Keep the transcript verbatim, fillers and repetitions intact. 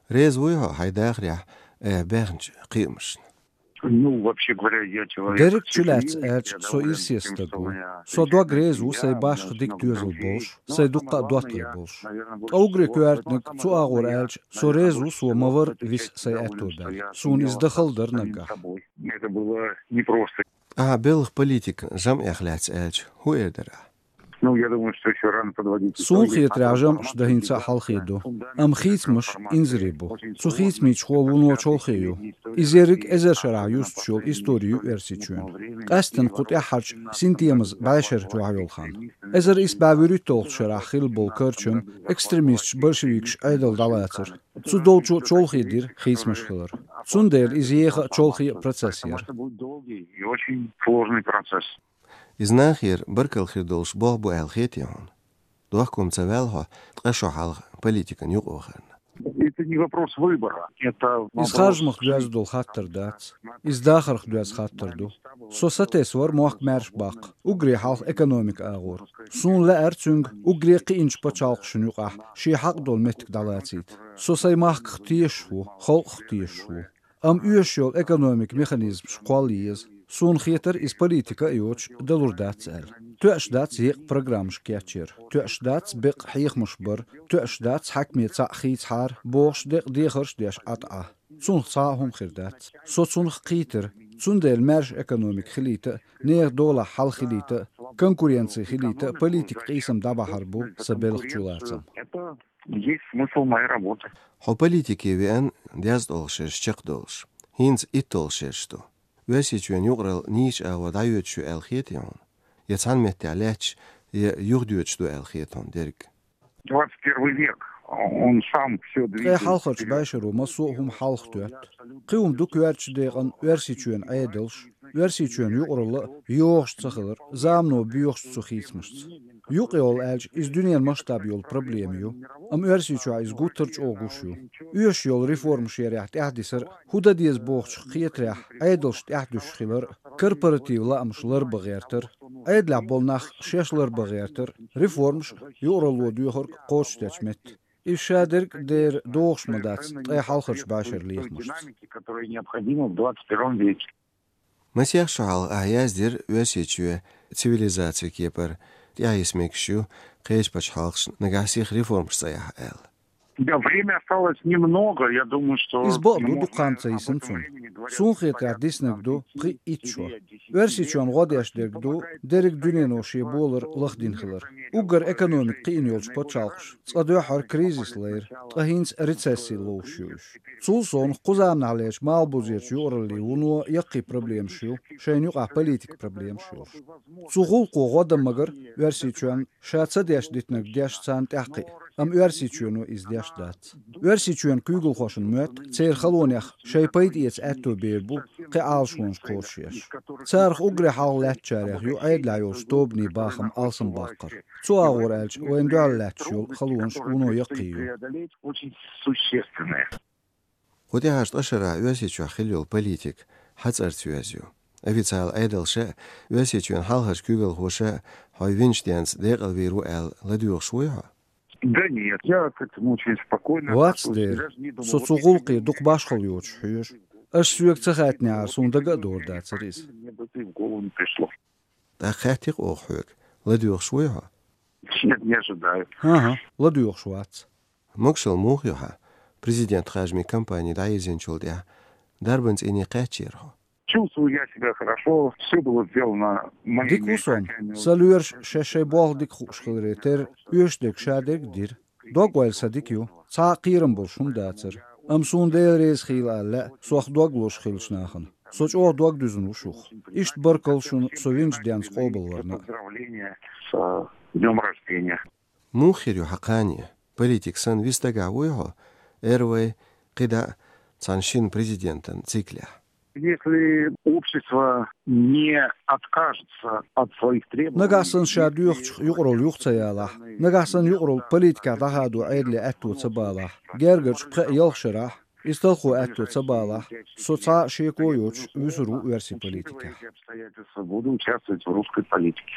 Реза вуй хьо хьайн дахарехь айхьа баьхначу кхиамашна? Ну, вообще говоря, я человек... Дерриг чулаьцна аьлча, со ирсе стаг ву. Со дог реза ву сайн башха дика доьзал болуш, сайн дуккха а доттагӀий болуш. Ткъа уггаре коьртаниг, цу агӀор аьлча, со реза ву, со ма вара виса сайн аьтто баьлла. Суна иза дахал дара наггахь. Это было непросто. Ахьа белхан политикан жамӀех лаьцна аьлча, хӀун эр дара ахь? Ну, я думаю, что ещё рано подводить итоги. Суна хетарехь, жамӀаш дан хӀинца а хьалхе ду. Амма хийцамаш инзаре бу. Цу хийцамийн чухула вуно чолхе ю. Иза ерриг эзар шарахь юстуш йолу истори ю Оьрсийчоьнан. Къаьсттина кху тӀаьххьарчу синтемаза бӀешеран чохь йолу хан. Эзар исс бӀе вуьрхӀитталгӀачу шарахь хилла болу карчам, экстремисташ, большевикаш Ӏедал дӀалацар. Цу долчу чолхе дира хийцамаш хилар. Цундела иза еха а, чолхе а процесс яра. И очень сложный процесс. Иза нахера баркалла хир долуш болх бу аьлла хетий хьуна? Дохко-м ца ваьлла хьо ткъа шо хьалха политикан юкъа вахарна. Это не вопрос выбора. Это... Иза харжамах доьзна долу хаттар дац. Иза дахарх доьзна хаттар ду. Со сатесна вара мохк маьрша баккха, уггаре хьалха экономика агӀор. Суна лаьара цуьнга уггаре кхиъначу пачхьалкхашна юкъахь шен хьакъ долу меттиг дӀалацийта. Со сайн махках тешаш ву, халкъах тешаш ву. Амма оьшуш йолу экономикан механизмаш кхолла еза. Суна хетара, иза политика а йоцуш далур дац аьлла. Тоьаш дац екъа программаш кечъяр, тоьаш дац бекъа хьехамаш бар, тоьаш дац хьаькаме цхьаъ хийцахьара бохуш, декъа дехарш а деш Ӏа тӀе Ӏа. Цунах цхьа а хӀума хир дац. Со цунах кхийтира, цундела маьрша экономика хилийта а, нехан долахь хьал хилийта а, конкуренци хилийта а политикан къийсам дӀабахьар бу сан белхан чулацам. Это есть смысл моей работы. Хьо политике веана дезткъалгӀа шераш чекхдолуш. ХӀинца итталгӀа шераш ду. Оьрсийчоьнан юкъаралла нийсачу агӀор дӀайоьдуш ю аьлла хетий хьуна? Я цхьана меттехь лаьтташ, я юхадоьдуш ду аьлла хета хьуна дерриг? Двадцать первый век, он сам всё двигает вперёд. Ткъе хьалхарчу бӀешаро массо а хӀума хьалха тоьтту. Кхин хӀума ду коьртачу декъана Оьрсийчоьнан Ӏедалш, Оьрсийчоьнан юкъаралла а йогӀуш цахилар, замано боьхучу цу хийцамашца. Юкъ йолу аьлча, иза дуьненан масштаб йолу проблема ю, амма Оьрсийчохь иза гуттар а чӀогӀа гуш ю. Оьшуш йолу реформаш ярехь тӀаьхьадисар а, хӀун дан деза бохучух кхетарехь, Ӏедалш тӀаьхьадуьсуш хилар а, корпоратив лаамаш ларбан гӀертар а, Ӏедалехь болу нах шаьш ларбан гӀертар а, реформаш а, юкъаралло доьхург а кхочушдечу метта. Иза шадерг а дера догӀуш ма дац ткъе хьалхарчу бӀешеран лехамашца. Масех шо хьалха ахьа яздира Оьрсийчоь цивилизацин кепара тӀаьхьа йиса мегаш ю, кхечу пачхьалкхашна нагахь сиха реформаш цӀа яхьа аьлла. Да, время осталось немного, я думаю, что... Иза бакъ ду, дукха хан ца йисна цунна. Суна хетарехь, диснарг ду пхиъ-итт шо. Оьрсийчоьнна гӀо деш дерг ду дерриг дуьнено шен болар лахдина хилар. Уггар экономика кхиъна йолчу пачхьалкхаша цкъа дуьххьара кризис лайра, ткъа хӀинца рецесси ловш ю уьш. Цул совнаха кху заманахьлерчу малхбузерчу юкъараллин вуно яккхий проблемаш ю, шайна юкъахь политикан проблемаш йолуш. Цу гӀуллакхо гӀо дан магара Оьрсийчоьнна ша ца деш дитинарг деш царна тӀаьхьакхиа, амма Оьрсийчоьно иза деш дац. Оьрсийчоьнан куьйгалхошна моьтту церан халонех шайн пайда эца аьтто бер бу кхин Ӏалашонаш кхочушъеш. Царах уггаре хьалха лаьттачарех ю Ӏедалехь йолчу тобанийн бахам алсамбаккхар. Цу агӀор аьлча, вайна дуьхьал лаьтташ йолу халонаш вуно яккхий ю. Кху тӀаьхьарчу ткъа шарахь Оьрсийчохь хилла йолу политика хьан цӀарца йоьзна ю? Официалан Ӏедалша а, Оьрсийчоьнан хьалхарчу куьйгалхоша а хьо винчу денца декъалвийр ву аьлла ладоьгӀуш вуй хьо? Да нет, я к этому очень спокойно отношусь. Вац дера. Со цу гӀуллакхе дукха башхалла йоцуш хьоьжу. Аша соьга ца хаьттинехьара, суна дага а дора дацара иза. Мне бы это и в голову не пришло. ТӀаккха хаьттий-кх оха хьоьга, ладоьгӀуш вуй хьо? Нет, не ожидаю. ХӀан-хӀа, ладоьгӀуш вац. Могушалла муха ю хьан? Президентан харжамийн кампани дӀайирзинчул тӀаьхьа дарбан цӀийне кхаьчнера хьо? Чувствую я себя хорошо, всё было сделано моими... Дика ву со. Сан лоьраш шаьш шайн болх дика хууш хиларе терра, оьшуш дерг шадерг а дира. Дог-ойла сан дика ю, цхьа а кхерам болуш хӀума дацара. Амма суна Дела реза хуьлда аьлла лаьа сох дог лозуш хиллачу нахана. Со чӀогӀа дог дуьзна ву шух. Иштта баркалла шуна со винчу денца къобалварна. Поздравления с, э, днём рождения. Муха хир ю хьан кхане? Политик санна вист дагахь вуй хьо, эр вай, кхидӀа а цхьана шина президентан циклехь? Если общество не откажется от своих требований... Нагахь санна ша доьхучух юкъаралла юха ца ялахь, нагахь санна юкъаралла политикехь дӀахадо Ӏедале аьтто ца балахь, гергарчу пхеа-ялх шарахь, иза талхо аьтто ца балахь, со цхьа а шеко а йоцуш вуьсур ву оьрсийн политикехь. Буду участвовать в русской политике.